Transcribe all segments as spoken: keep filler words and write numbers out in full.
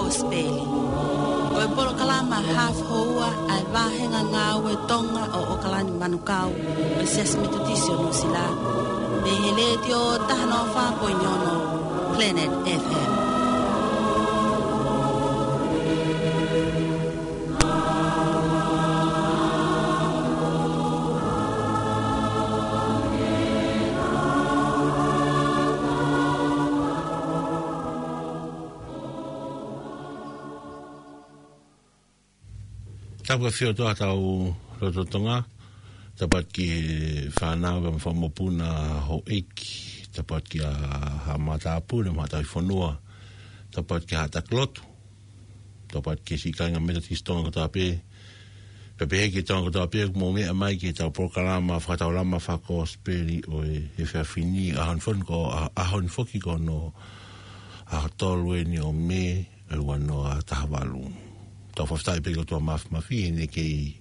Kosipeli. Ko e polokalama hafu houa ʻa e vāhenga ngāue Tonga ʻo ʻOkalani Manukau ʻo e Siasi Metotisi ʻo Nuʻusila. Mei he Letiō taha noa fā poini ono Planet F M. Tapu ʻa e ʻafio ʻa hotau lotolotonga. Tapu atu ki he fānau mo e fanga mokopuna, houʻeiki. Tapu atu ki he haʻa matāpule mo e haʻa tauhi fonua. Tapu atu ki he haʻa taki lotu. Tapu atu ki he siʻi kāinga Metotisi Tonga kotoa pē. Pea pehē ki he Tonga kotoa pē, ʻoku mou meʻa mai ki heʻetau polokalama fakataulama fakakosipeli ʻo e efiafi ni, ʻaho ni foki ko, ʻa, ʻaho ni foki ko hono ʻaho tolu eni ʻo Mē, ʻo e ua noa taha valu. Tau fakafetaʻi pē ki he ʻOtua Māfimafi, heʻene kei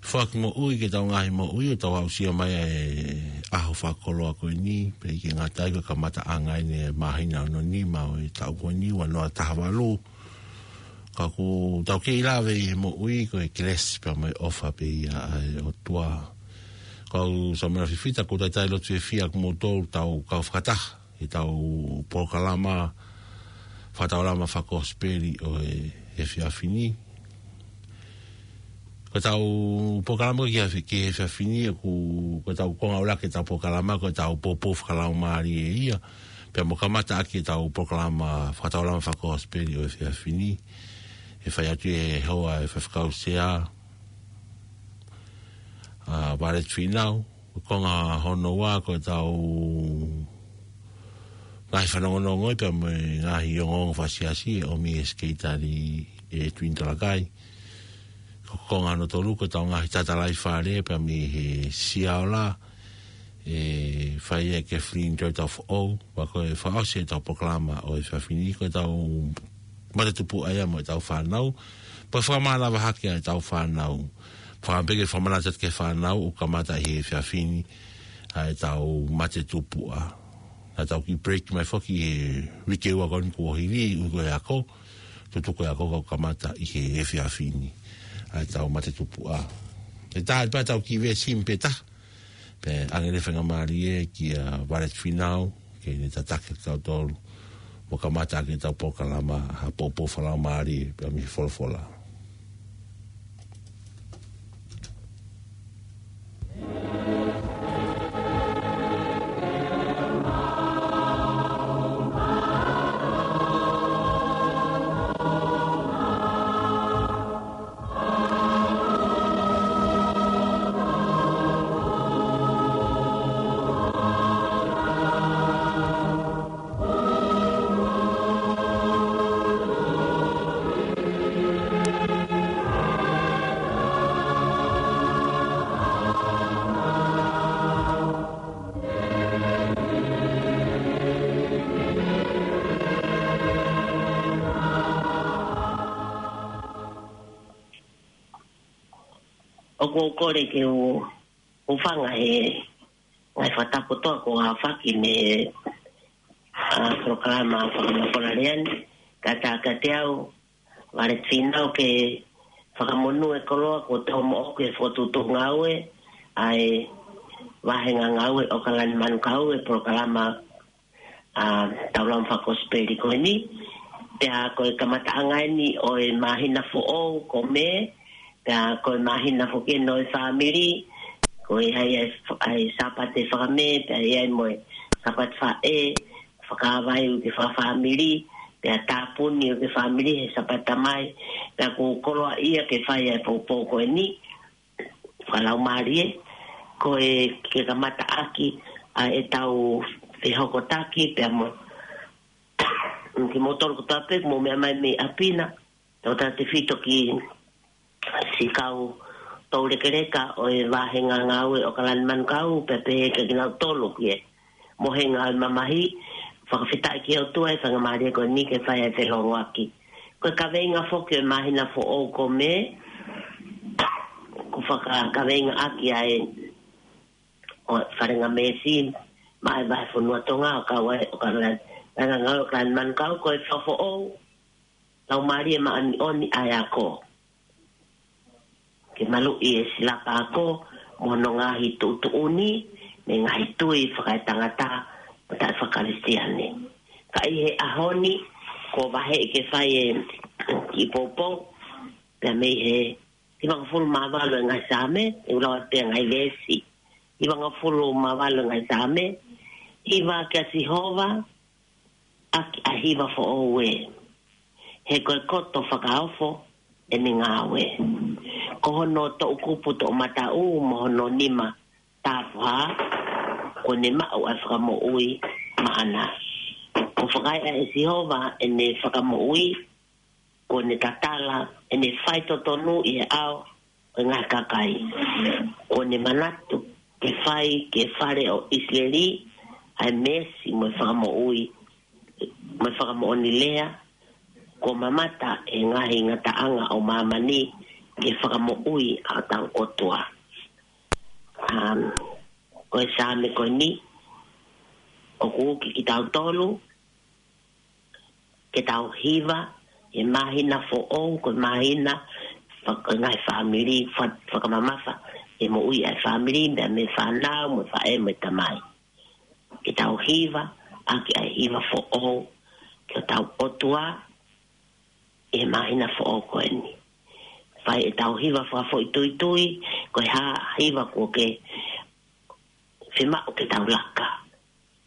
foaki moʻui ki heʻetau ngaahi moʻui, ʻo tau aʻusia mai ʻa e ʻaho fakakoloa ko eni, pea ʻikai ke ngata ai, ko e kamataʻanga eni e māhina hono nima ʻo e taʻu ko eni, ua noa taha valu. Ka ʻoku tau kei lave ʻi he moʻui ko e kelesi pea mo e ʻofa pē ia ʻa e ʻOtua. Kau Samuela Fifita, ʻoku ou talitali lotu fiefia ʻa kimoutolu tau kau fakataha ʻi heʻetau polokalama fakataulama fakakosipeli ʻo e efiafi ni. Ko ʻetau polokalama ki he efi-, ki he efiafi ni, ʻoku, ko ʻetau konga ʻuluaki ʻetau polokalama, ko ʻetau poupou fakalaumālie ia. Pea mo kamata ʻaki ʻetau polokalama fakataulama fakakosipeli ʻo e efiafi ni, ʻe fai atu ʻe he hoa ʻo e Faifekau Sea, ʻa Violet Finau. Ko e konga hono ua ko ʻetau ngaahi fanongonongo pea mo e ngaahi ongoongo fakasiasi ʻe ʻomi ʻe he Sekelitali ʻe Tuini Talakai. Ko e konga hono tolu ko ʻetau ngaahi tatalaifale pea mei he Siaola, ʻe fai ʻe Kathleen Joy Taufoʻou, pea ko e fakaʻosi ʻetau polokalama ʻo e efiafi ni ko ʻetau matatupuʻa ia mo ʻetau fānau, pea fakamālō hake ʻa ʻetau fānau. Fakapē ke fakamanatu atu ki he fānau ʻoku kamata ʻi he efiafi ni ʻa ʻetau matatupuʻa. Naʻa tau kiʻi break mai foki he uike ua ko eni kuo hili, uike ako, tutuku e ako ka ʻoku kamata ʻi he efiafi ni ʻa ʻetau matatupuʻa. ʻE taha pē ʻetau kiʻi veesi pē taha, pea ʻoange e faingamālie kia Violet Finau ke ne tataki kitautolu mo kamata ʻaki ʻetau polokalama ha poupou fakalaumālie pea mei he folofola. ʻOku ou kole ke u, u hūfanga he ngaahi fakatapu kotoa kuo aofaki mei he, ʻa, polokalama fakamafola lea ni, kae ʻatā kiate au, Violet Finau, ke fakamonū e koloa kuo tau moʻoku he fokotuʻutuʻu ngāue ʻa e vāhenga ngāue ʻOkalani Manukau, e polokalama, ʻa, taulama fakakosipeli ko eni. Pea ko e kamataʻanga eni ʻo e māhina foʻou ko Mē, pea ko e māhina foki eni ʻo e fāmili, ko e ʻi ai ʻa e f-, ʻa e Sāpate Fakamē, pea ʻi ai mo e Sāpate Faʻē, fakavaivai uike fakafāmili, pea tāpuni uike fāmili he Sāpate Tamai, pea ʻoku ou koloaʻia ke fai ʻa e poupou ko eni fakalaumālie, ko e ke kamata ʻaki ʻa ʻetau fehokotaki pea mo kimoutolu kotoa pē ʻoku mou meʻa mai mei ʻapi na, tautautefito ki he siʻi kau toulekeleka ʻo e vāhenga ngāue ʻOkalani Manukau, pea pehē kia kinautolu ki he mohenga ʻo e mamahi, fakafetaʻi ki he ʻOtua e faingamālie ko eni ke fai ʻa e feʻiloaki. Ko e kaveinga foki ʻo e māhina foʻou ko Mē, ʻoku fakakaveinga ʻaki ʻa e ʻo e falenga meesi maʻa e vahefonua Tonga ʻo kau ai ʻOkalani, vāhenga ngāue ʻOkalani Manukau, ko e fakafoʻou Laumālie Māʻoniʻoni ʻa e ako. Ke maluʻi e silapa ako mo hono ngaahi tuʻutuʻuni mei he ngaahi tui fakaetangata mo taʻefakakalisitiane. Ka ʻi he ʻaho ni, kuo vaheʻi ke fai e kiʻi poupou pea mei he hivangofulu mā valu e ngaahi Saame, ʻe u lau atu e ngaahi veesi. Hivangofulu mā valu e ngaahi Saame. Hiva kia Sihova, ʻaki ʻa e hiva foʻou ē, he ko e koto fakaofo ʻene ngāue. Ko hono toʻukupu toʻomataʻu mo hono nima tapuhā, kuo ne maʻu ʻa e fakamoʻui maʻana. Kuo fakaeʻa ʻe Sihova ʻene fakamoʻui, kuo ne tatala ʻene faitotonu ʻi he ʻao ʻo e ngaahi kakai. Kuo ne manatu ke fai ki he fale ʻo ʻIsileli ʻa e meesi mo e fakamoʻui, mo e fakamoʻoni lea, kuo mamata ʻe he ngaahi ngataʻanga ʻo māmani ki he fakamoʻui ʻa hotau ʻOtua. Um, ko e Saame ko eni, ʻoku uki kitautolu ke tau hiva he māhina foʻou, ko e māhina fak-, ngaahi fāmili, fa-, fakamamafa e moʻui ʻa e fāmili, mei he fānau, mo e faʻē, mo e tamai. Ke tau hiva ʻaki ʻa e hiva foʻou ki hotau ʻOtua he māhina foʻou ko eni. Fai ʻetau hiva fakafoʻituitui, ko e hā ha hiva kuo ke fiemaʻu ke tau laka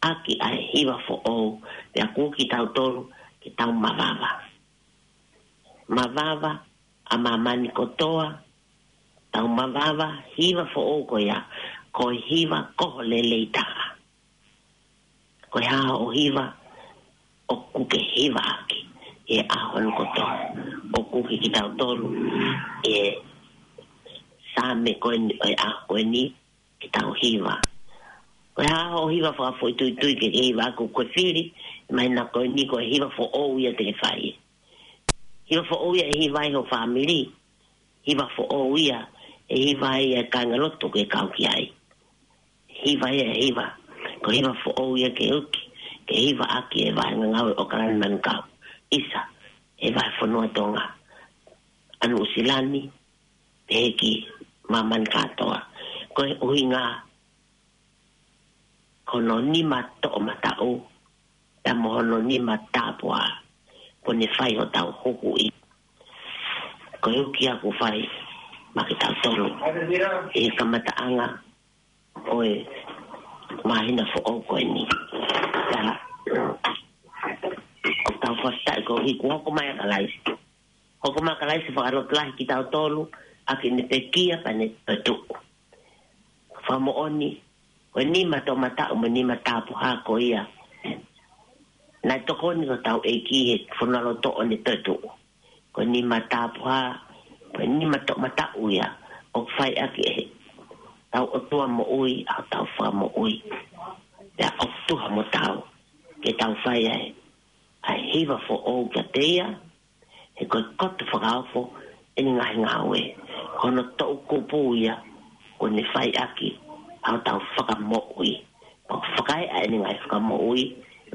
ʻaki ʻa e hiva foʻou, pea ʻoku uki kitautolu ke tau mavava. Mavava ʻa māmani kotoa, tau mavava, hiva foʻou ko ia, ko e hiva koho lelei taha. Ko e hā hoʻo hiva ʻoku ke hiva ʻaki he ʻaho ni kotoa? ʻOku uki kitautolu he Saame ko eni, he ʻaho ko eni, ke tau hiva. Ko e hā hoʻo hiva fakafoʻituitui ke ke hiva ʻaki? Ko e fili, māhina ko eni ko e hiva foʻou ia te ke fai. Hiva foʻou ia ʻe hiva ai ho fāmili. Hiva foʻou ia ʻe hiva ai e kāingalotu ʻoku ke kau ki ai. Hiva ia ʻe hiva. Ko e hiva foʻou ia ke uki, ke hiva ʻaki e vaʻe ngāue ʻo ʻOkalani Manukau. ʻIsa, he vahefonua Tonga, ʻa Nuʻusila ni, pehē ki māmani kātoa. Ko e ʻuhinga, ko hono nima toʻomataʻu, pea mo hono nima tapuhā, kuo ne fai hotau huhuʻi. Ko e uki ia kuo fai maʻa kitautolu he kamataʻanga ʻo e māhina foʻou ko eni. Pea ʻoku tau fakafetaʻi koeʻuhi kuo hoko mai ʻa Kalaisi. Hoko mai ʻa Kalaisi ʻo fakalotolahi kitautolu ʻaki ʻene pekia pea ne toetuʻu. Fakamoʻoni, ko e nima toʻomataʻu mo e nima tapuhā ko ia naʻe tokoni ki hotau ʻEiki he fonualoto ʻo ne toetuʻu. Ko e nima tapuhā, ko e nima toʻomataʻu ia ʻoku fai ʻaki ʻe hotau ʻOtua moʻui ʻa hotau fakamoʻui. Pea ʻoku tuha mo taau ke tau fai ai ʻa e hiva foʻou kiate ia, he ko e koto fakaofo ʻene ngaahi ngāue. Ko hono toʻukupu ia kuo ne fai ʻaki ʻa hotau fakamoʻui. Pea ʻoku fakaeʻa ʻene ngaahi fakamoʻui,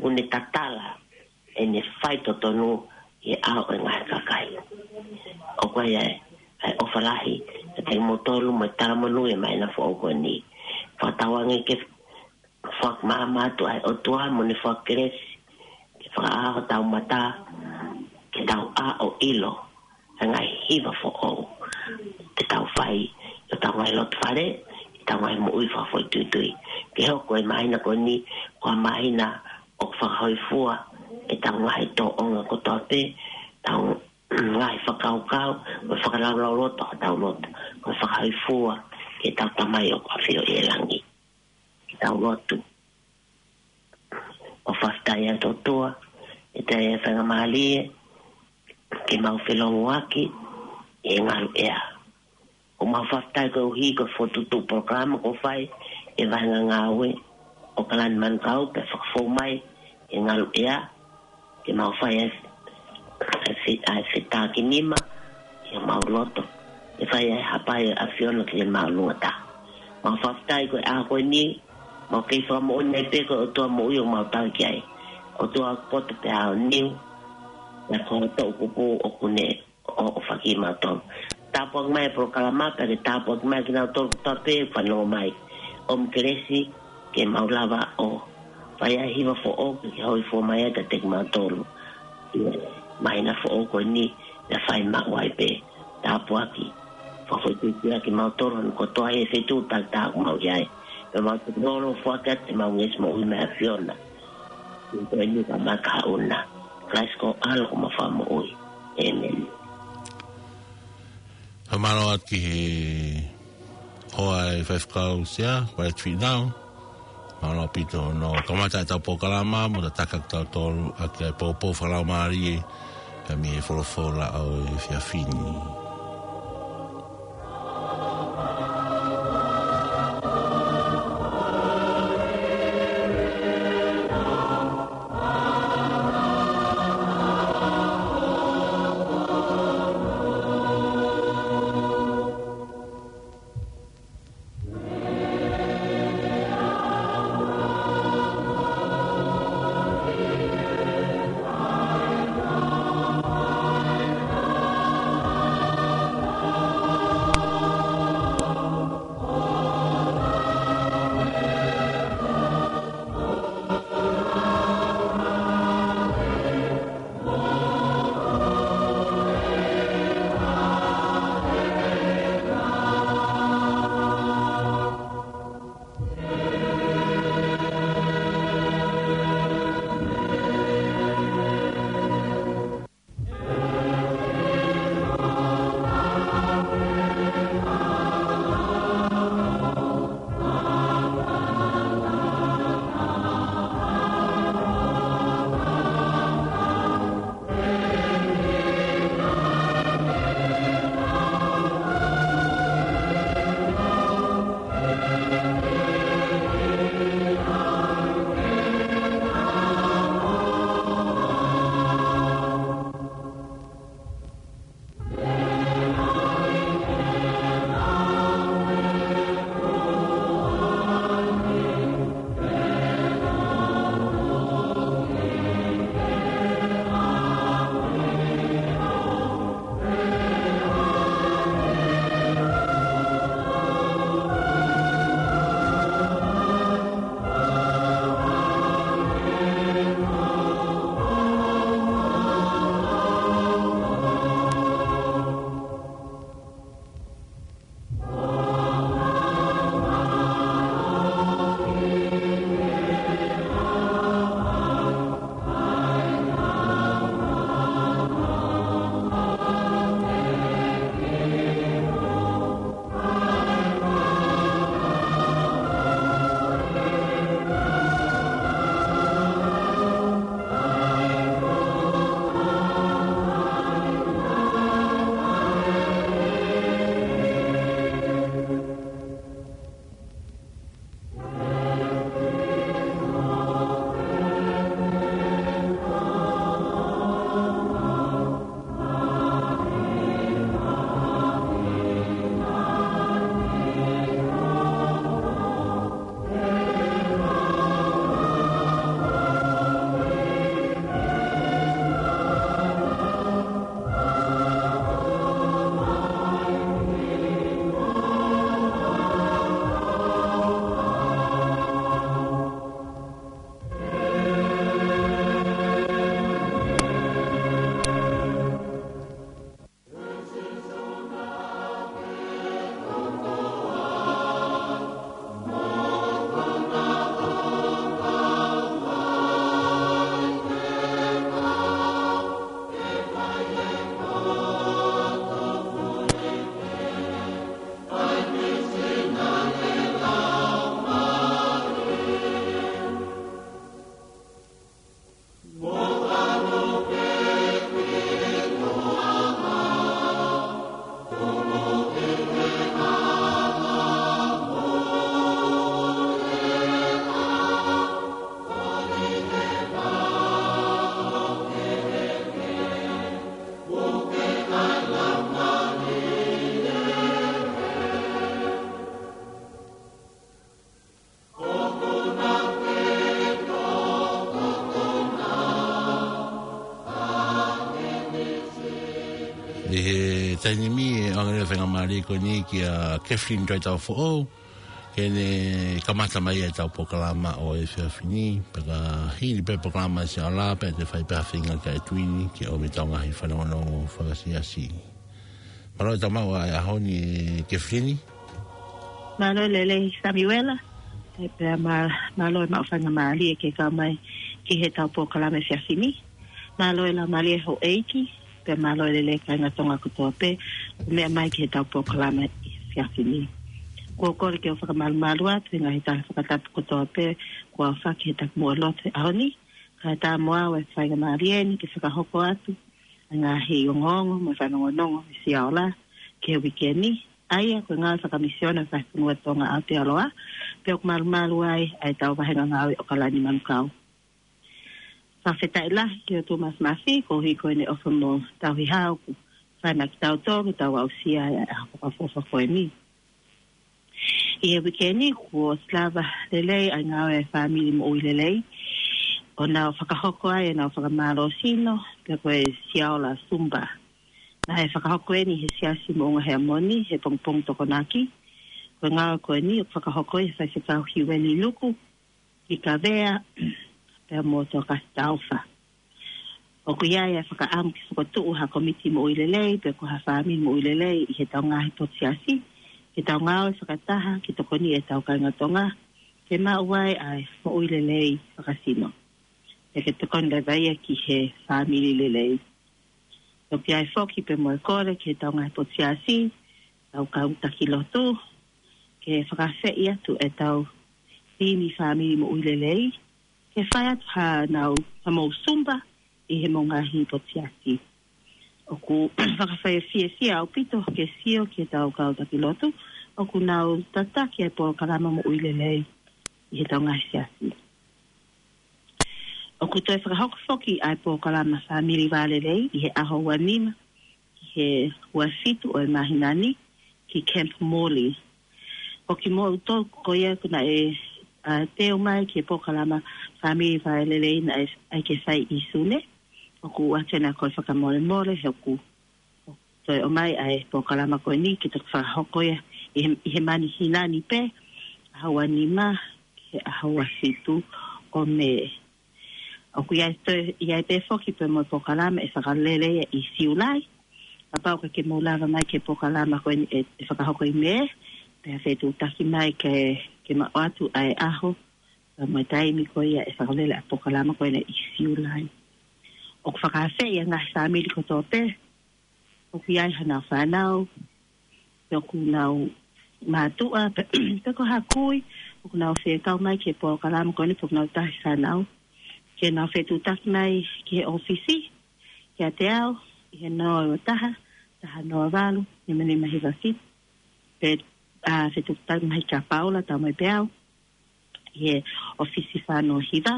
kuo ne tatala ʻene faitotonu ʻi he ʻao ʻo e ngaahi kakai. ʻOku ʻi ai ʻa e ʻofa lahi kiate kimoutolu mo e talamonū he māhina foʻou ko eni. Fakatauange ke fakamaama atu ʻa e ʻOtua mo ʻene fakakelesi ke fakaʻā hotau mata, ke tau ʻā ʻo ʻilo ʻa e ngaahi hiva foʻou ke tau fai ʻi hotau ngaahi loto fale, ʻi hotau ngaahi moʻui fakafoʻituitui. Ke hoko e māhina ko eni ko ha māhina ʻoku fakahōifua ʻetau ngaahi tōʻonga kotoa pē, ʻetau ngaahi fakakaukau, mo e fakalaulauloto ʻo hotau loto, mo e fakahōifua ki heʻetau Tamai ʻoku ʻafio ʻi he langi. Ke tau lotu. ʻOku fakafetaʻi atu ʻOtua, ʻi he faingamālie ke mau felōngoaki ʻi he ngaluʻea. ʻOku mau fakafetaʻi koeʻuhi ko e fokotuʻutuʻu polokalama kuo fai ʻe he vahenga ngāue ʻo ʻOkalani Manukau pea fakafou mai ʻi he ngaluʻea, ke mau fai ʻa e, ʻa e fe-, ʻa e fetākinima ʻi homau loto, ke fai ʻa e hapai ʻa e ʻAfiona ki he māʻolunga taha. Mau fakafetaʻi ko e ʻaho ko eni, mau kei fakamoʻoni ai pē ko e ʻOtua moʻui ʻoku mau tauhi ki ai. ʻOtua ʻoku poto pea aoniu, Pea ko e toʻukupu ʻoku ne ʻo, ʻo fakamaʻu. Tāpuaki mai e polokalama, pea ke tāpuaki mai kinautolu kotoa pē fanongo mai. ʻOmi kelesi ke mau lava ʻo fai ai e hiva foʻou, ke hōifua mai ai kiate kimautolu. Māhina foʻou ko eni, naʻa fai maʻu ai pē. Tāpuaki. Fakafoʻituitui ʻa kimautolu, ʻa e kotoa he feituʻu takitaha ʻoku mau ʻi ai. Pea mau tukulolo foaki atu ʻemau ngeʻesi moʻui maʻa e ʻAfiona. Ko eni ka maka una. Christ ko ʻAlo ko ʻemau Fakamoʻui. ʻĒmeni. Fakamālō atu ki he hoa e faifekau Sea, White Feet Now. Mālō ʻaupito hono kamata ʻetau polokalama, mo tataki kitautolu ʻaki ʻa e poupou fakalaumālie, pea mei he folofola ʻo e efiafi ni. Taimi ni ʻoku ʻoange e faingamālie ko eni kia Kathleen Toitau Foʻou, ke ne kamata mai ʻetau polokalama ʻo e efiafi ni, pea ka hili pē polokalama ʻa Siaola, pea te fai pē ha feinga kia Edwin, ke ʻomi ʻetau ngaahi fanongonongo fakasiasi. Mālō e tau maʻu ʻa e ʻaho ni, Kathleen. Mālō e lelei Samiuela, ē pea mā-, mālō e maʻu faingamālie ke kau mai ki heʻetau polokalama efiafi ni. Mālō e laumālie houʻeiki, pea mālō e lelei kāinga Tonga kotoa pē, ʻoku meʻa mai ki heʻetau polokalama efiafi ni. ʻOku ou kole ke u fakamalumalu atu he ngaahi tala fakatapu kotoa pē, kuo aofaki he takimuʻa lotu he ʻaho ni, kae ʻatā mo au e faingamālie ni ke fakahoko atu e ngaahi ongoongo mo e fanongonongo ʻa Siaola ki he uike ni, ʻa ia ko e ngāue fakamisiona ʻa e Fakafonua Tonga Aotearoa, pea ʻoku malumalu ai ʻa ʻetau vāhenga ngāue ʻAokalani Manukau. Fakafetaʻi lahi ki he ʻOtua Māfimafi, koeʻuhi ko ʻene ʻofa mo tauhi hao kuo fai maʻa kitautolu, tau aʻusia ai ʻa e ʻaho fakaʻofoʻofa ko eni. ʻI he uike ni, kuo ʻosi lava lelei ʻa e ngāue ʻa e fāmili moʻui lelei, ʻo nau fakahoko ai ʻenau fakamālō sino, pea ko e Siaola Zumba. Naʻe fakahoko eni he Siasi Moʻunga Heamoni, he pongipongi Tokonaki. Ko e ngāue ko eni ʻoku fakahoko ʻe he Faifekau Hiueli Luku, ki Kavea, pea mo Tokasi Taufa. ʻOku ʻi ai e fakaʻamu ke fokotuʻu ha kōmiti moʻui lelei, pe ko ha fāmili moʻui lelei ʻi heʻetau ngaahi potu siasi, ke tau ngāue fakataha, ke tokoni ʻetau kāinga Tonga, ke maʻu ai ʻa e moʻui lelei fakasino. Pea ke tokoni leva ia ki he fāmili lelei. ʻOku ʻi ai foki pē mo e kole ki heʻetau ngaahi potu siasi, ʻetau kau taki lotu, ke fakaafeʻi atu ʻetau timi fāmili moʻui lelei, ke fai atu haʻanau, haʻamou Zumba ʻi heʻemou ngaahi potu siasi. ʻOku fakafiefia ʻaupito ke sio ki heʻetau kau taki lotu, ʻoku nau tataki e polokalama moʻui lelei ʻi heʻetau ngaahi siasi. ʻOku toe fakahoko foki ʻa e polokalama fāmili vālelei ʻi he ʻaho ua nima ki he ua fitu ʻo e māhina ni ki Camp Morley. Ko kimoutolu ko ia ʻoku naʻe, ā, teu mai ki he polokalama fāmili vālelei naʻe ʻai ke fai ʻi Sune, ʻoku ʻoatu ʻena kole fakamolemole he ʻoku toe ʻomai ʻa e polokalama ko eni ke toki fakahoko ia ʻi he, ʻi he māhina ni pē, ʻaho ua nima ki he ʻaho ua fitu ʻo Mē. ʻOku ʻi ai toe, ʻi ai pē foki pē mo e polokalama ʻe fakalele ia ʻi Siulai. Kapau ʻoku ʻikai ke mou lava mai ki he polokalama ko eni ʻe, ʻe fakahoko ʻi Mē, pea fetuʻutaki mai ke, ke maʻu atu ʻa e ʻaho, pea mo e taimi ko ia ʻe fakalele ʻa e polokalama ko eni ʻi Siulai. ʻOku fakaafeʻi ʻa e ngaahi fāmili kotoa pē ʻoku ʻi ai haʻanau fānau, pe ʻoku nau mātuʻa, pe, pe ko ha kui ʻoku nau fekau mai ki he polokalama ko eni pe ʻoku nau tahi fānau, ke nau fetuʻutaki mai ki he ʻōfisi kiate au ʻi he noa ua taha, taha noa valu, nima nima hiva fitu, pe, ā, fetuʻutaki mai kia Paula Taumoepeau ʻi he ʻōfisi fā noa hiva.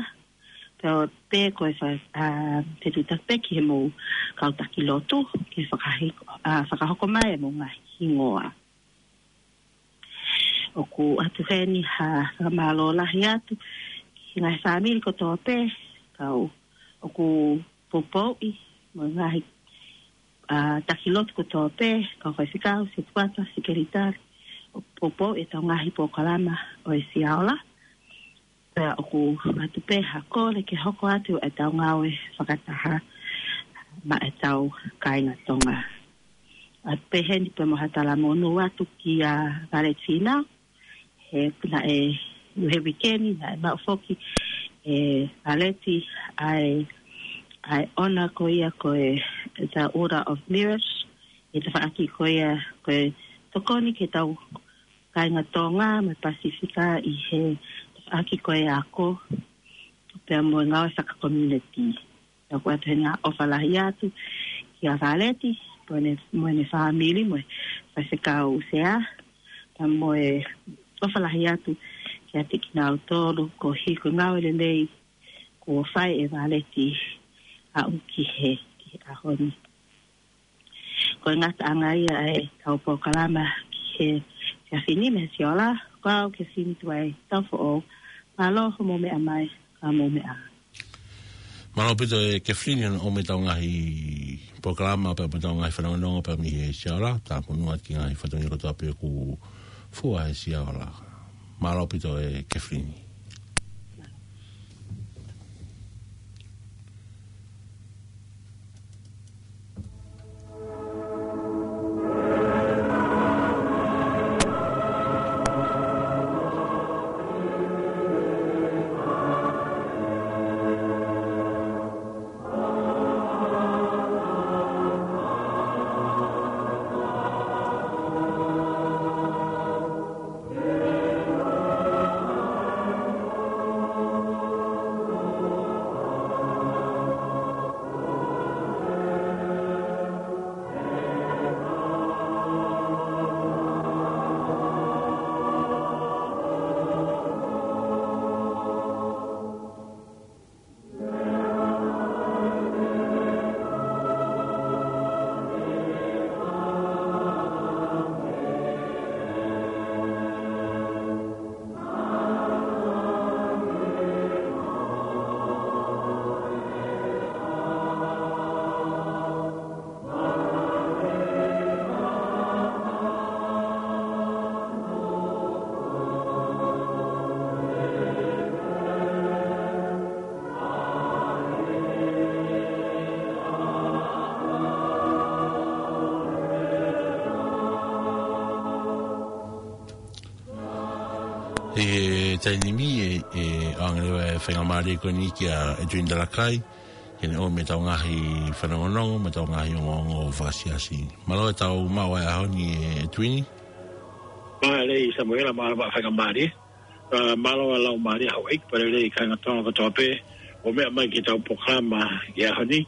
Pea, pe ko e fa-, ā, fetuʻutaki pē ki heʻemou kau taki lotu, ke fakahiko-, ā, fakahoko mai ʻemou ngaahi hingoa. ʻOku ʻoatu heni ha fakamālō lahi atu ki he ngaahi fāmili kotoa pē, kau ʻoku poupouʻi, mo e ngaahi, ā, taki lotu kotoa pē, kau faifekau, setuata, sekelitali, ʻoku poupouʻi ʻetau ngaahi polokalama ʻo e Siaola. Pea ʻoku ʻoatu pē ha kole ke hoko atu ʻetau ngāue fakataha maʻa ʻetau kāinga Tonga. ʻOatu pē heni pē mo ha talamonū atu kia Valeti Fīnau, he naʻe, he uike ni, naʻe maʻu foki ʻe Valeti ʻa e, ʻa e ʻona ko ia ko e, the Order of Merit, ʻi he tafaʻaki ko ia ko e tokoni ki heʻetau kāinga Tonga mo e Pasifika ʻi he tafaʻaki ko e ako, pea mo e ngāue fakakomiunitī. Pea ʻoku ʻoatu heni ha ʻofa lahi atu kia Valeti, mo ʻene, mo ʻene fāmili, mo e Faifekau Sea, pea mo e ʻofa lahi atu kiate kinautolu koeʻuhi ko e ngāue lelei kuo fai ʻe Valeti ʻo aʻu ki he, ki he ʻaho ni. Ko e ngataʻanga ia ʻetau polokalama ki he efiafi ni mei he Siaola, ko au Kathleen Tuai Taufoʻou, mālō hoʻomou meʻa mai, ka mou meʻa. Mālō ʻaupito ʻe Kathleen hono ʻomai ʻetau ngaahi polokalama pea mo ʻetau ngaahi fanongonongo pea mei he Siaola, tāpuni atu ki he ngaahi fatongia kotoa pē ʻoku fua he Siaola. Mālō ʻaupito ʻe Kefilini. ʻI he taimi ni ʻe, ʻe ʻoange leva e faingamālie ko eni kia ʻEtuini Talakai, ke ne ʻomi ʻetau ngaahi fanongonongo, mo ʻetau ngaahi ongoongo fakasiasi. Mālō ʻetau maʻu ʻa e ʻaho ni ʻEtuini. Mālō Samuela, mālō e faingamālie. ʻA, mālō e laumālie ʻa houʻeiki pea lelei kāinga Tonga kotoa pē ʻoku meʻa mai ki heʻetau polokalama ʻi he ʻaho ni.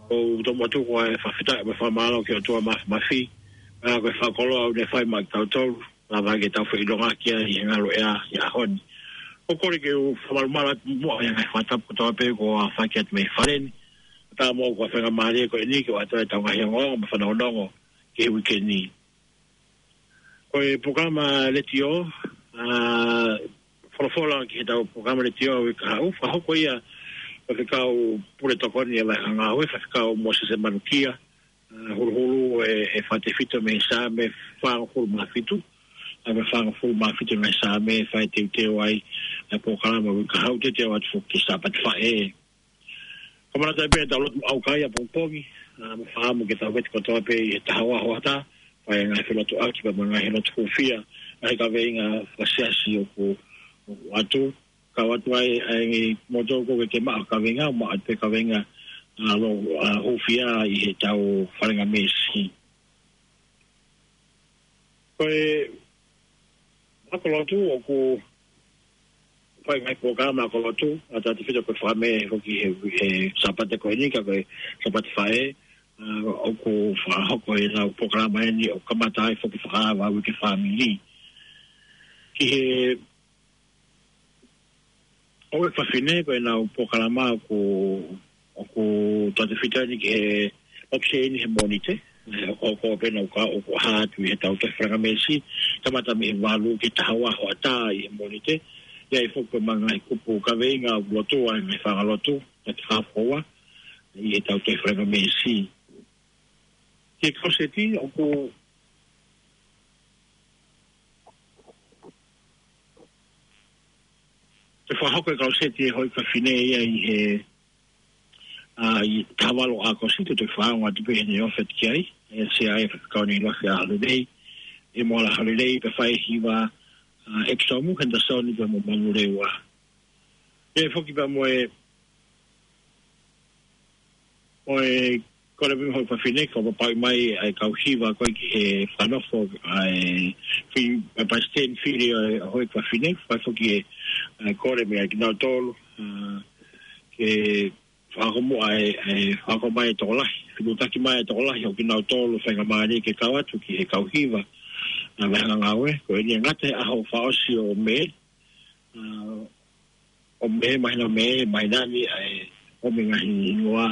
ʻOku tomuʻa tuku ʻa e fakafetaʻi mo e fakamālō ki he ʻOtua Māfimafi. ʻA, ko e fakakoloa ʻoku ne fai maʻa kitautolu, lava ke tau feʻilongaki ai he ngaluʻea ʻi he ʻaho ni. ʻOku ou kole ke u fakamalumalu atu muʻa ʻi he ngaahi fakatapu kotoa pē kuo aofaki atu mei fale ni. Kae ʻatā mo au ko e faingamālie ko eni ke u ʻoatu ʻetau ngaahi ongoongo mo e fanongonongo ki he uike ni. Ko e polokalama letiō, ʻa, folofola ki heʻetau polokalama letiō ʻo e kahaʻu, fakahoko ia ʻe Faifekau Pule Tokoni ʻa e Vahefonua, Faifekau Mōsese Manukia, ʻa, huluhulu e, e fakatefito mei he Saame fāngofulu mā fitu, ʻa, mei he fāngofulu mā fitu mei he Saame, fai teuteu ai e polokalama ʻo e kahaʻu, teuteu atu foki ki he Sāpate Faʻē. Kae ʻumaʻā atu pē ʻetau lotu ʻaukai ʻapongipongi, ʻa, mo e fakaʻamu ke tau vete kotoa pē ʻi he taha ua hoʻatā, fai e ngaahi felotuʻaki pea mo e ngaahi lotu hūfia, ngaahi kaveinga fakasiasi ʻoku, ʻoku ʻoatu, kau atu ai, ʻa e ngaahi motu ko ē ke maʻu kaveinga, maʻu atu pē kaveinga, ʻa, lo, ʻa, hūfia ʻi heʻetau falengamesi. Ko e ako lotu ʻoku fai ngaahi polokalama ako lotu, ʻa, tautefito ko e Fakamē foki he, he Sāpate ko eni ka ko e Sāpate Faʻē, ʻa, ʻoku fakahoko ʻenau polokalama eni ʻo kamata ai foki fakaava uike fāmili. Ki he ʻOku fafine ko ʻenau polokalama ʻoku, ʻoku tautefito eni ki he ʻoku sēni he Mōnite. ʻE, ʻoku, ʻoku pehē ʻoku, ʻoku hā atu ʻi heʻetau tohi falengamesi, kamata mei he valu ki he taha ua hoʻatā ʻi he Mōnite. ʻI ai foki ko e ngaahi kupu kaveinga ʻoku lotua ʻi he ngaahi fanga lotu, ʻa e fakafou ʻi heʻetau tohi falengamesi. Ki he kau seti, ʻoku toe fakahoko e kau seti ʻa e houʻeiki fafine ia ʻi he, ʻa, ʻi he taha valu ʻo ʻAokosi, toe fakaongo atu pē heʻene ofi atu ki ai, ʻe sea ai e faifekau Neilosi ʻAholelei, ʻe Moala ʻAholelei, pea fai e hiva, ʻa, ʻEkitomu Henderson pea mo Manu Leua. ʻE foki pea mo e ʻo e kole mei he houʻeiki fafine, ko e papauʻi mai ʻa e kau hiva ko ē ki he fakanofo ʻa e fi-, ʻa e palesiteni fili ʻo e houʻeiki fafine, fai foki e, ʻa e kole mei ai kinautolu, ʻa, ke fakahoko muʻa e, e fakahoko mai e tokolahi, fetuʻutaki mai e tokolahi ʻo kinautolu faingamālie ke kau atu ki he kau hiva, ʻa, mo e hanga ngāue, ko eni ʻe ngata he ʻaho fakaʻosi ʻo Mē, ʻa, ʻo Mē, māhina Mē, māhina ni, ʻa e, ʻo Mē ngaahi hingoa,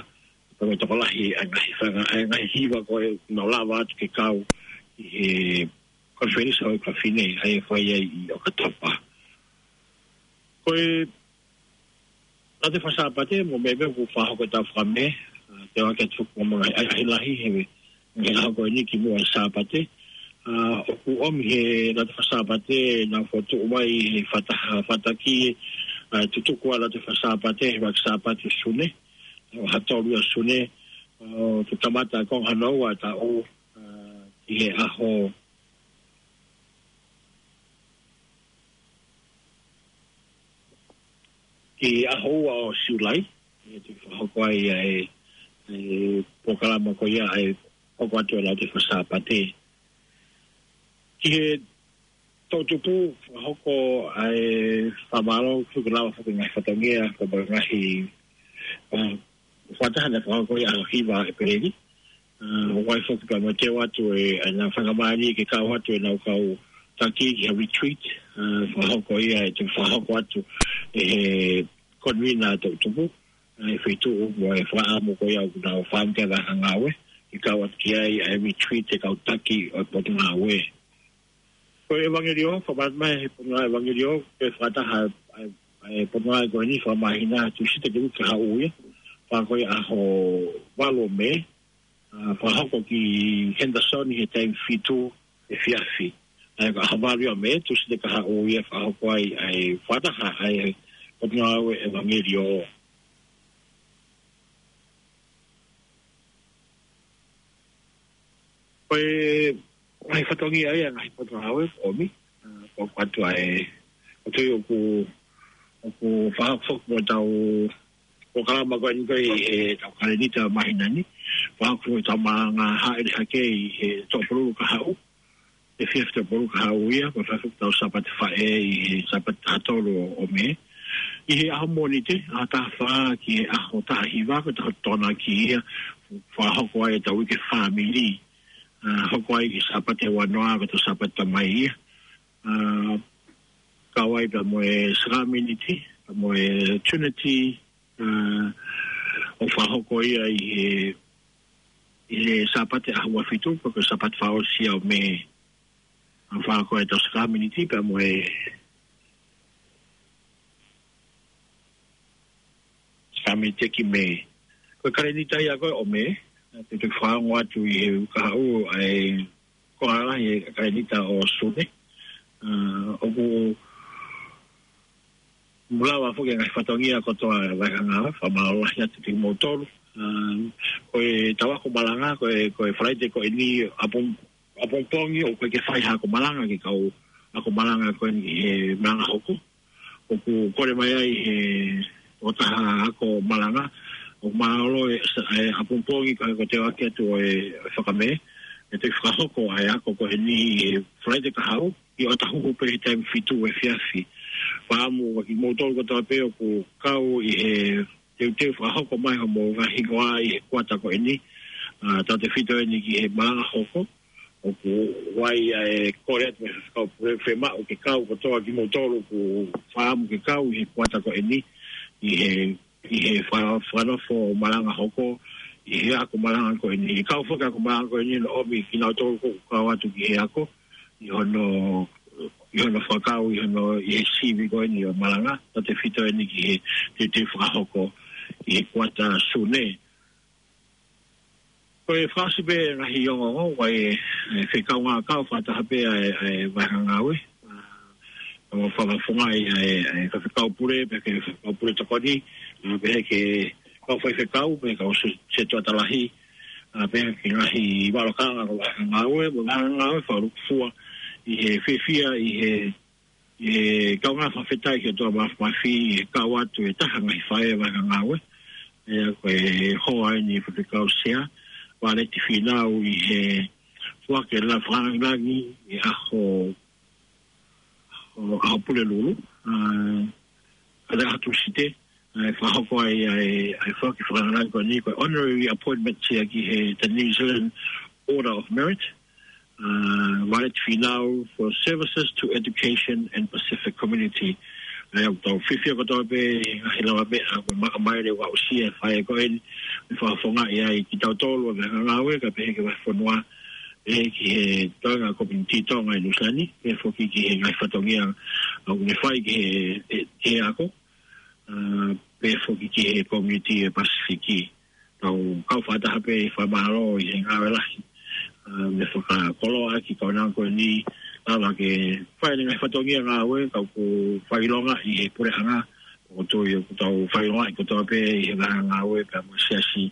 ko e tokolahi, ʻa e ngaahi fanga, ʻa e ngaahi hiva ko ē, nau lava atu ke kau ʻi he konifelenisi houʻeiki fafine, ʻa ia ʻe fai ai ʻi ʻOkatopa. Ko e, ʻa e fakaSāpate, mo e meʻa ʻoku fakahoko ʻi he taʻu Fakamē, ʻa, Te u ake atu foki mo e ngaahi ʻahiʻahi lahi he, he ʻaho ko eni kimuʻa he Sāpate. ʻA, ʻoku ʻomi he Laute Faka-Sāpate naʻa fokotuʻu mai he fakataha fataki, ʻa, tutuku ʻa e Laute Faka-Sāpate he ʻuluaki Sāpate ʻo Sune, ʻaho tolu ʻo Sune, ʻo, ke kamata ʻa e konga hono ua ʻo e taʻu, ʻa, ki he ʻaho ki he ʻaho ua ʻo Siulai, ʻe toki fakahoko ai ʻa e, ʻa e polokalama ko ia ʻa e hoko atu ʻa e Laute Faka-Sāpate. Ki he toʻutupu, fakahoko ʻa e fakamālō, kuo lava foki e ngaahi fatongia, ko e ngaahi, ʻa, fakataha naʻe fakahoko ʻi he ʻaho hiva ʻo ʻEpeleli. ʻA, ʻoku ʻi ai foki pea mo e teu atu ʻa e, ʻa e ngaahi fakamālō ke kau atu ʻenau kau taki ki he retreat, ʻa, fakahoko ia ʻe toki fakahoko atu ʻe he konvina toʻutupu, ʻa, ʻa e feituʻu mo e fakaʻamu ko ia ʻoku nau fakaʻamu ki ai e vahevahe ngāue, ke kau atu ki ai ʻa e retreat ʻa e kau taki ʻo e potungāue. Ko e ʻevangeliō, fakamālō mai he potungāue ʻevangeliō, ke fakataha ʻa e, ʻa e potungāue ko eni fakamāhina Tūsite ki he uike kahaʻu ia, fakahoko ʻi he ʻaho valu ʻo Mē, ʻa, fakahoko ki Henderson ʻi he taimi fitu efiafi. ʻA ia ko e ʻaho valu ia ʻo Mē, Tūsite kahaʻu ia fakahoko ai ʻa e fakataha ʻa e potungāue ʻevangeliō. Ko e ngaahi fatongia ia ʻa e ngaahi potungāue ʻoku ʻomi, ʻa, ko e ʻoatu ʻa e, ʻoatu ʻoku, ʻoku fakahoko foki mo ʻetau polokalama ko eni ko e, ʻetau kalēnita māhina ni, fakahoko foki ʻetau malanga hāʻele hake ʻi he Tuʻapululu kahaʻu, efiafi Tuʻapululu kahaʻu ia, ko e fakahoko ʻetau Sāpate Faʻē ʻi he Sāpate taha tolu ʻo Mē. ʻI he ʻaho Mōnite, ʻaho taha fā ki he ʻaho taha hiva, ko e taha Tokonaki ia, fakahoko ai ʻetau uike fāmili. ʻA, hoko ai ki he Sāpate ua noa, ko ʻetau Sāpate Tamai ia. ʻA, kau ai pea mo e Sākalamēniti, pea mo e Trinity, ʻa, ʻoku fakahoko ia ʻi he, ʻi he Sāpate ʻaho ua fitu, ko e Sāpate fakaʻosi ia ʻo Mē. ʻA, fakahoko ʻetau Sākalamēniti pea mo e Sākalamēniti ki Mē. Ko e kalēnita ia ko ē ʻo Mē, ʻa, te u fakaongo atu ʻi he uike kahaʻu ʻa e konga lahi ʻo e kalēnita ʻo Sune. ʻA, ʻoku mou lava foki e ngaahi fatongia kotoa ʻa e vahevahe ngāue, fakamālō lahi atu kimoutolu. ʻA, ko ʻetau ako malanga, ko e, ko e Falaite ko eni ʻapo, ʻapongipongi ʻoku ʻikai ke fai ha ako malanga ki he kau ako malanga ko eni he malanga hoko. ʻOku kole mai ai he tokotaha ako malanga, ʻoku mālōlō e, e ʻapongipongi ko e, ko e teu ake atu ʻo e, ʻo e Fakamē, ʻe toki fakahoko ʻa e ako ko eni he Falaite kahaʻu, ʻi ʻOtahuhu pē he taimi fitu efiafi. Fakaʻamu kiate kimoutolu kotoa pē ʻoku kau ʻi he teuteu fakahoko mai hoʻomou ngaahi hingoa ʻi he kuata ko eni, ʻa, tautefito eni ki he malanga hoko, ʻoku ʻi ai ʻa e kole atu mei he Faifekau Pule, fiemaʻu ke kau kotoa kimoutolu ʻoku fakaʻamu ke kau ʻi he kuata ko eni, ʻi he, ʻi he fa-, fakanofo malanga hoko, ʻi he ako malanga ko eni. ʻE kau foki e ako malanga ko eni ʻo ʻomi kinautolu ʻoku kau atu ki he ako, ʻi hono, ʻi hono fakakau, ʻi hono, ʻi he sivi ko eni ʻo e malanga, tautefito eni ki he teuteu fakahoko ʻi he kuata Sune. Ko e fakaʻosi pē ngaahi ongoongo, ʻoku ʻi ai e, e fekau ngākau fakataha pē ʻa e, ʻa e vahevahe ngāue. ʻA, ʻo fakafofongaʻi ʻa e, ʻa e Faifekau Pule, pea ki he Faifekau Pule Tokoni, ʻa, pehē ki he kau faifekau, pea ki he kau se-, setuata lahi, ʻa, pea ki he ngaahi vahevahe ngāue, mo e vahevahe ngāue fakalūkufua, ʻi he fiefia, ʻi he ʻI he kaungā fakafetaʻi ki he ʻOtua Māfimafi, ʻi he kau atu e taha ngaahi faʻē vahevahe ngāue. ʻA ia ko e hoa eni Faifekau Sea, Valeti Fīnau ʻi he foaki e langilangi ʻi he ʻaho, ʻo, ʻaho Pulelulu, ʻa, ʻa e ʻaho Tūsite, ʻa e fakahoko ai, ʻa e, ʻa e foaki fakalāngilangi ko eni ko e honorary appointment ia ki he, the New Zealand Order of Merit, ʻa, Valeti Fīnau for services to education and Pacific community. ʻA ia ʻoku tau fiefia kotoa pē he ngaahi lavameʻa ʻoku maka mai ʻoku aʻusia ʻe he faʻē ko eni, ʻe fakafofongaʻi ai kitautolu ʻa e vahevahe ngāue, kae pehē ki he vahefonua, pehē ki he toenga kominiti Tonga ʻi Nuʻusila ni, pehē foki ki he ngaahi fatongia ʻoku ne fai ki he, he, he ako, ʻa, pehē foki ki he kominiti ʻi he Pasifiki. tau kau fakataha pē ʻi he fakamālō ʻi he ngāue lahi, ʻa, mo e fakakoloa ki he kaunanga ko eni, lava ke fai ʻene ngaahi fatongia ngāue, ka ʻoku fakaʻilonga ʻi he puleʻanga, ʻoku tui ʻoku tau fakaʻilongaʻi kotoa pē ʻi he ngaahi ngāue, pea mo e siasi,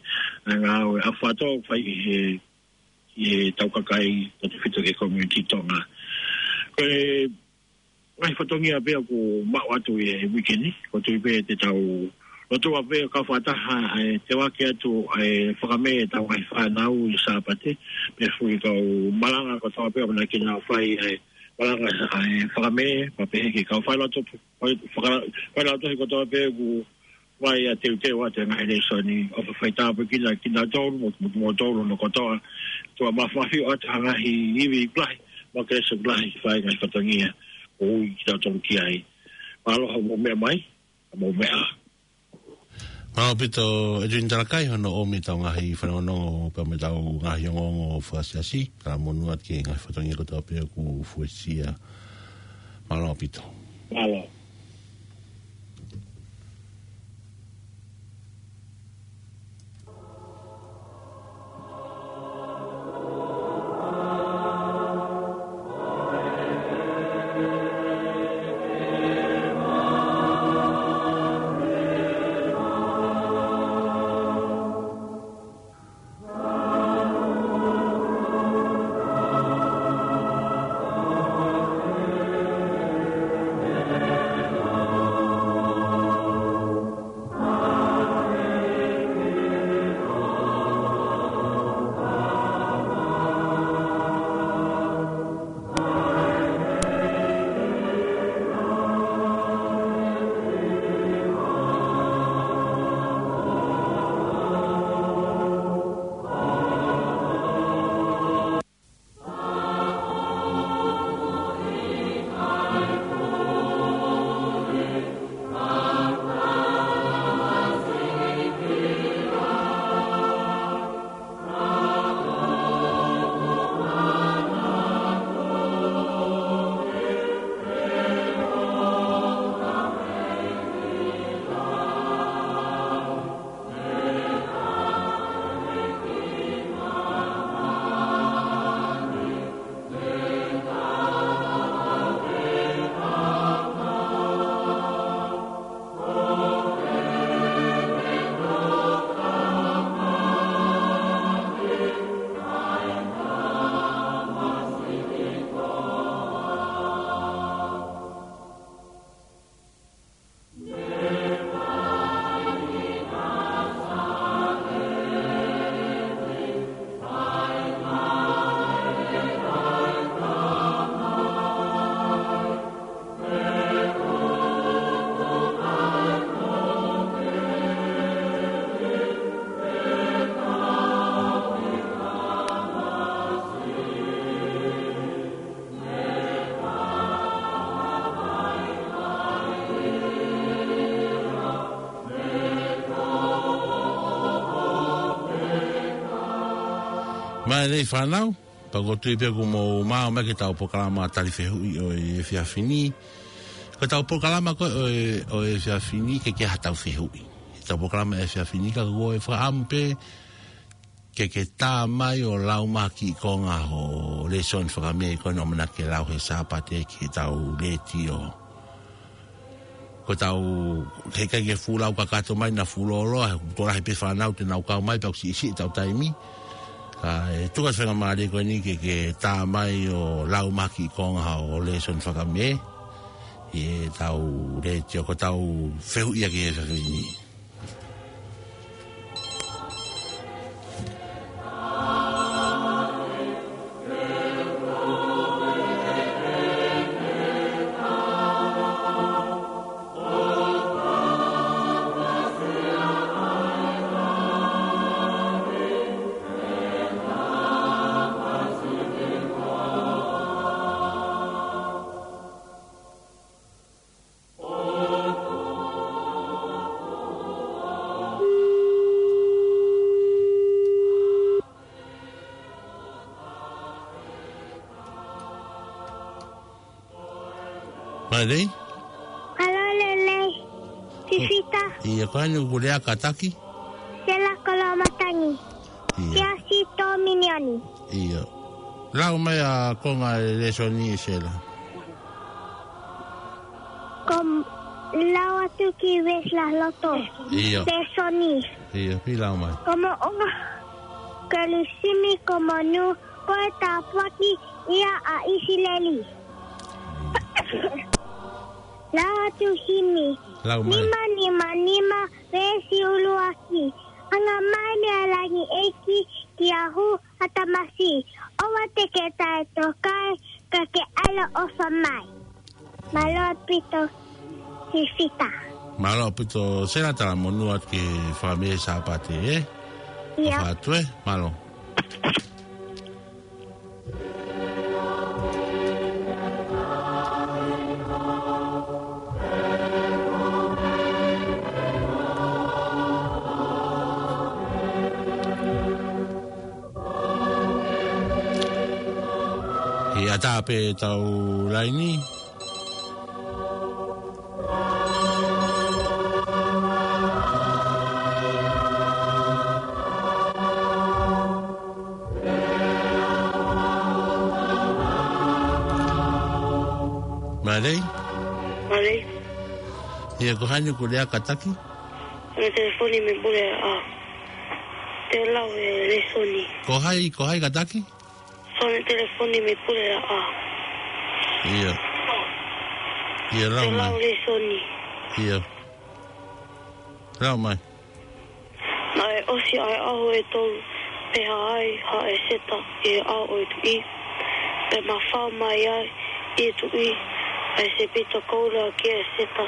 ngaahi ngāue ʻa fato fai ʻi he, ʻi he tau kakai, tautefito ki he community Tonga. Ko e ngaahi fatongia pē ʻoku maʻu atu ʻi he uike ni, ʻoku tui pē te tau lotua pē kau fakataha ʻa e tevake atu ʻa e fakamē ʻetau ngaahi fānau ʻi Sāpate, pea fui kau malanga kotoa pē ʻamanaki ke nau fai ʻa e malanga ʻa e fakamē, pea pehē ki he kau failotu, fai-, faka-, failotu he kotoa pē ʻoku fai ʻa e teuteu atu e ngaahi lēsoni, ʻofa fai tāpuekina kinautolu mo, mo, mo tolu no kotoa, tuʻa mafimafi ʻo atu ha ngaahi ivi lahi, mo e kelesi lahi, fai ngaahi fatongia, ʻoku ui kitautolu ki ai. Mālō hoʻomou meʻa mai, hoʻomou meʻa. Mālō ʻaupito, Edwin Talakai, hono ʻomi ʻetau ngaahi fanongonongo, pea mo ʻetau ngaahi ongoongo fakasiasi, ka monū atu ki he ngaahi fatongia kotoa pē ʻoku fuesia. Mālō ʻaupito. Mālō. Mālō e fānau, pea ʻoku ou tui pē kuo mou maʻu mai ki heʻetau polokalama tali fehuʻi ʻo e efiafi ni. Ko ʻetau polokalama ko ē ʻo e, ʻo e efiafi ni ʻikai ke ʻi ai haʻatau fehuʻi. ʻEtau polokalama efiafi ni ka ko e fakaʻamu pē ke ke tā mai ʻo lau mai ha kiʻi konga hoʻo lēsoni fakamē ko eni ʻoku ʻamanaki ke lau he Sāpate ki heʻetau letiō. Ko ʻetau, heʻikai ke fuʻu lau kakato mai naʻa fuʻu lōloa, he ʻoku tokolahi pē fānau te nau kau mai pea ʻoku siʻisiʻi ʻetau taimi. Ka ʻe tuku atu e faingamālie ko eni ke ke tā mai ʻo lau mai ha kiʻi konga hoʻo lēsoni fakamē ʻi heʻetau letiō, ko ʻetau fehuʻi ia ki he efiafi ni. Mālō. Mālō e lelei. Fifita. ʻIo, ko hai ʻoku lea kātaki? Sela Kolomata. Ia. Siasi Tōminioni. Ia. Lau mai ʻa e konga e lēsoni ʻe Sela. Ko m-, lau atu ki Vesila Loto. Ia. Lēsoni. Ia, pea lau mai. Ko Moʻunga Kerisimi ko Monu, ko e tāpuaki ia ʻa ʻIsileli. Lau atu himi. Lau mai. Nima nima nima, veesi ʻuluaki. Anga mai meia langi ʻEiki kia hu ha tamasi. ʻOua te ke taʻetokaʻi, ka ke ʻaloʻofa mai. Mālō ʻaupito, Sisita. Mālō ʻaupito, Sela, talamonū atu ki he fakamē Sāpate, ē? Ia. ʻOfa atu, ē? Mālō. ʻE ʻatā pē ʻetau laini. Mālō. Mālō. Ia, ko hai ʻoku lea, kātaki? Ko e telefoni mei Puleʻaʻao. Te u lau e lēsoni. Ko hai, ko hai, kātaki? Ko e telefoni mei Puleʻaʻao. Ia. Ia, lau mai. Te u lau e lēsoni. Ia. Lau mai. Naʻe ʻosi ʻa e ʻaho ʻe tolu, pea hā ai ha ʻEseta ʻi he ʻao ʻo e tuʻi. Pea mafao mai ai ʻe he tuʻi ʻa e sepita koula ki he ʻEseta.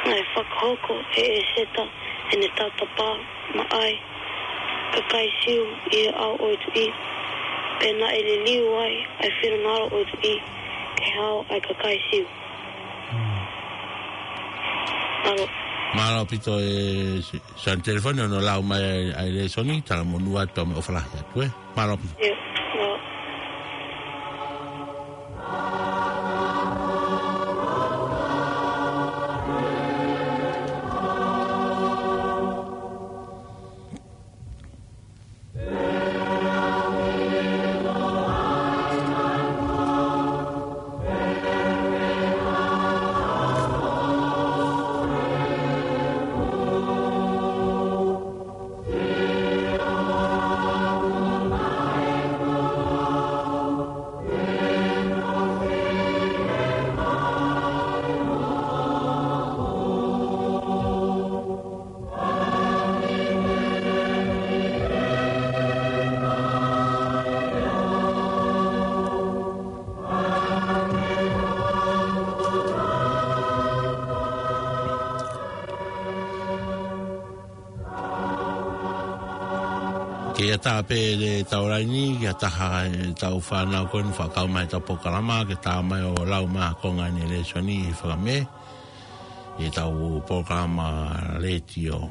Naʻe fakahoko ʻe ʻEseta ʻene tautapa maʻa e kakai Siu ʻi he ʻao ʻo e tuʻi. Pea naʻe liliu ai ʻa e finangalo ʻo e tuʻi ki he hao ʻa e kakai Siu. Mālō. Mālō ʻaupito e si-, siasi telefoni hono lau mai ʻa e, ʻa e lēsoni, talamonū atu mo e ʻofa lahi atu, ē. Mālō ʻaupito. Ia, mālō. Ke ʻatā pē ʻetau laini, ki ha taha ʻetau fānau ko eni ʻoku kau mai ʻetau polokalama, ke tā mai ʻo lau mai ha konga ʻene lēsoni ʻi he fakamē, ʻi heʻetau polokalama letiō.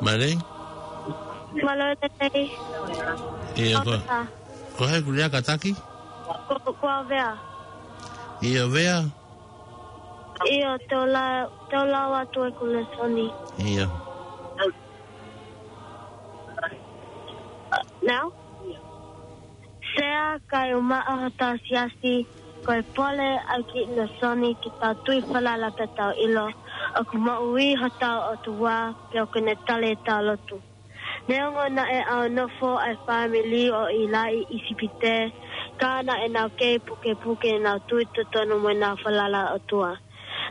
Mālō. Mālō e lelei. ʻIo, ko, Avea. Ko hai ʻoku lea kātaki? Ko, ko Avea. ʻIo, Avea. ʻIo, te u la-, te u lau atu ʻeku lēsoni. ʻIo. Now? Sea, kae ʻumaʻā hotau siasi, ko e pole ʻa e kiʻi lēsoni ke tau tui falala pea tau ʻilo ʻoku moʻui hotau ʻOtua, pea ʻoku ne tali ʻetau lotu. Neongo naʻe ʻaonofo ʻa e fāmili ʻo ʻĪlaʻi ʻi ʻIsipite, ka naʻa nau kei pukepuke ʻenau tui totonu mo ʻenau falala ʻOtua.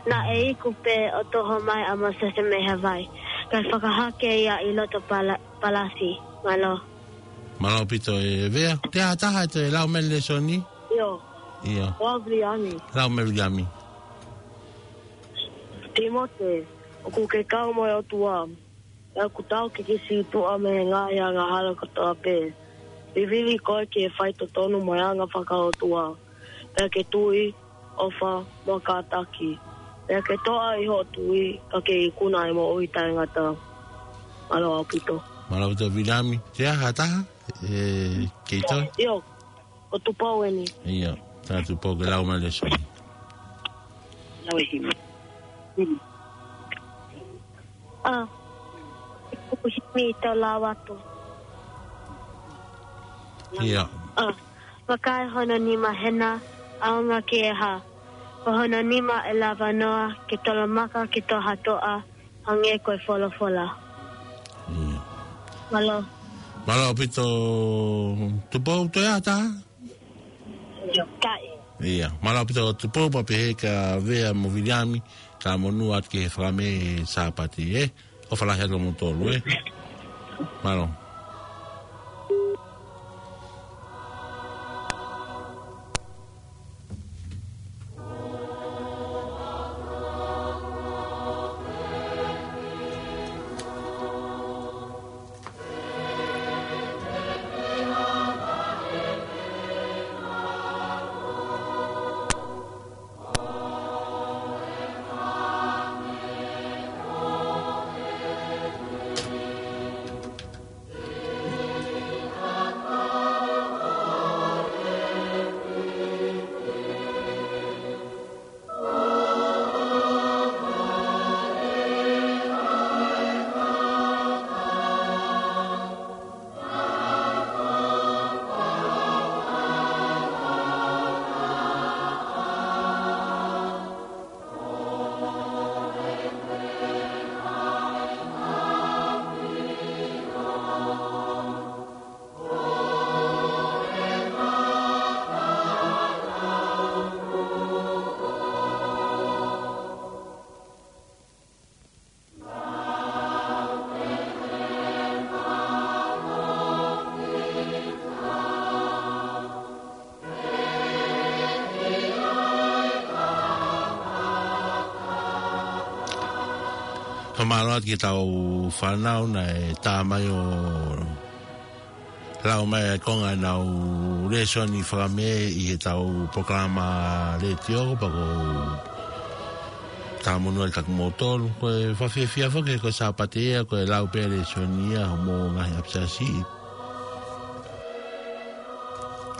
Naʻe iku pē ʻo toho mai ʻa Mōsese mei he vai, kae fakahake ia ʻi loto pala-, palasi. Mālō. Mālō ʻaupito e Avea. Te ha taha ʻe toe lau mai e lēsoni? ʻIo. ʻIo. Ko Viliami. Lau mai Viliami. Tīmote, ʻoku ke kau mo e ʻOtua. Pea ʻoku tau kikisituʻa mei he ngaahi angahala kotoa pē. Vivili koe ki he faitotonu mo e anga fakaʻotua. Pea ke tui, ʻofa, mo kātaki. Pea ke toʻa ʻi hoʻo tui, ka ke ikuna ʻa e moʻui taʻengata. Mālō ʻaupito. Mālō ʻaupito Viliami. Te ha taha ʻe kei toe? ʻIo, ko Tupou eni. ʻIo, tā Tupou ke lau mai e lēsoni. Lau e himi. Himi. ʻA, ʻoku himi te u lau atu. ʻIo. ʻA, vakai hono nima hena, ʻaonga ki he hā. Ko hono nima ʻe lava noa ke tolomaka ki toʻa ha toʻa, hangē ko e folofola. ʻIo. Mālō. Mālō ʻaupito Tupou, toe ha taha? Kae. ʻIo. Mālō ʻaupito Tupou, pea pehē kia Avea mo Viliami, talamonū atu ki he fakameʻa he Sāpate, ē? ʻOfa lahi atu kimoutolu, ē? Mālō. Fakamālō atu ki heʻetau fānau naʻe tā mai ʻo lau mai ʻa e konga ʻenau lēsoni fakameʻa ʻi heʻetau polokalama letiō, pea ʻoku ou talamonū atu kiate kimoutolu. Ko e fakafiefia foki ko e Sāpate ia, ko e lau pē lēsoni ia homou ngaahi ʻapisiasi.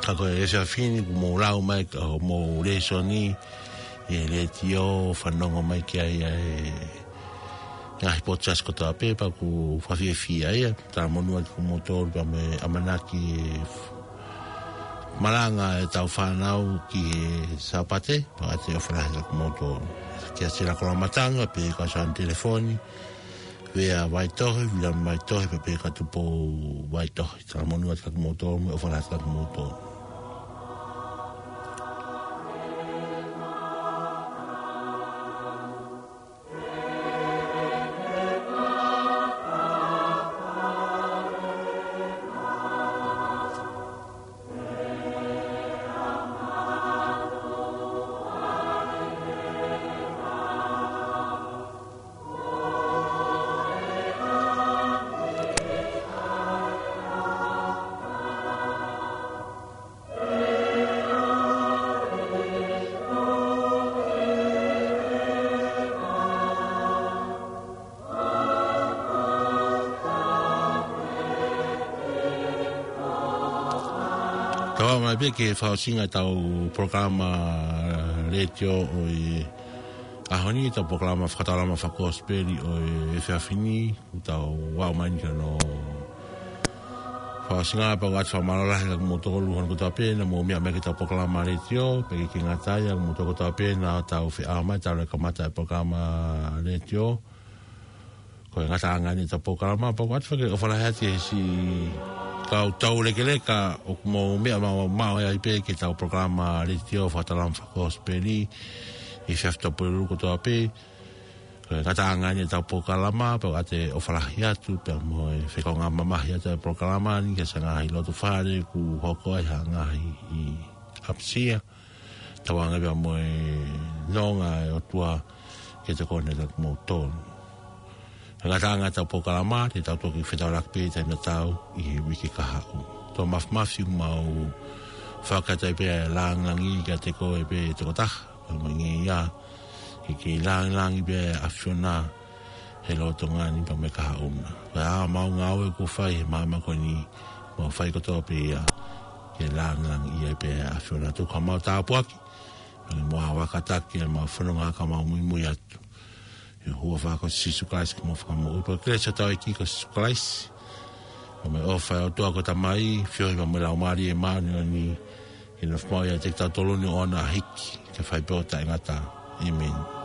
Ka ko e efiafi ni kuo mou lau mai ʻa homou lēsoni ʻi he letiō, fanongo mai ki ai ʻa e ngaahi potu siasi kotoa pē, pea ʻoku ou fakafiefia ia. Talamonū atu kiate kimoutolu pea mo e ʻamanaki malanga ʻetau fānau ki he Sāpate, pea ʻoatu e ʻofa lahi atu kiate kimoutolu. Kia Sila Kolomatanga, pea kia Sāni Telefoni, Avea Vaitohi, Viliami Vaitohi, pea pehē kia Tupou Vaitohi. Talamonū atu kiate kimoutolu, mo e ʻofa lahi atu kiate kimoutolu. Tau ō mai pē ki he fakaʻosinga ʻetau polokalama letiō ʻo e ʻaho ni, ʻetau polokalama fakataulama fakakosipeli ʻo e efiafi ni, ʻoku tau ō mai ni ki hono fakaʻosinga. Pea ʻoku ʻoatu e fakamālō lahi kiate kimoutolu hono kotoa pē naʻa mou meʻa mai ki heʻetau polokalama letiō, pea ʻikai ke ngata ai, ʻa kimoutolu kotoa pē naʻa tau feʻao mai talu e kamata e polokalama letiō. Ko e ngataʻanga eni ʻetau polokalama, pea ʻoku ʻoatu foki e ʻofa lahi atu ki he siʻi kau taulekeleka ʻoku mou meʻa maʻu, maʻu ai pē ki heʻetau polokalama letiō fakataulama fakakosipeli ʻi he efiafi Tuʻapulelulu kotoa pē. Ko e ngataʻanga eni ʻetau polokalama, pea ʻoku ʻoatu e ʻofa lahi atu pea mo e fekaungāmamahi atu e polokalama ni ki he ngaahi lotofale ʻoku hoko ai ha ngaahi ʻi ʻapisia. Tauange pea mo e nonga e ʻOtua ke tokoni kiate kimoutolu. Ko e ngataʻanga ʻetau polokalama, te tau toki fetaulaki pē taimi tatau ʻi he uike kahaʻu. Tō mafimafi ʻoku mau fakataha pē e lāngilangi kiate koe pē tokotaha, pea mo e ngeia, ke ke lāngilangi pē ʻa e ʻAfiona he lolotonga ni pea mo e kahaʻu na. Ko e ʻa ʻemau ngāue ʻoku fai he māmani ko eni, mau fai kotoa pē ia ke lāngilangiʻia pē ʻa e ʻAfiona. Tuku haʻamau tāpuaki, pea mo e ʻa e kātaki ʻemau fononga kae mau muimui atu. ʻI he huafa ko Sīsū Kalaisi ko homau Fakamoʻui. Pea ko e kelesi ʻa hotau ʻEiki ko Sīsū Kalaisi, pea mo e ʻofa ʻa e ʻOtua ko e Tamai, feohi pea mo e Laumālie Māʻoniʻoni, ke nofo maʻu ʻiate kitautolu ni ʻo ʻoua naʻa hiki, ke fai pē ʻo taʻengata. ʻĒmeni.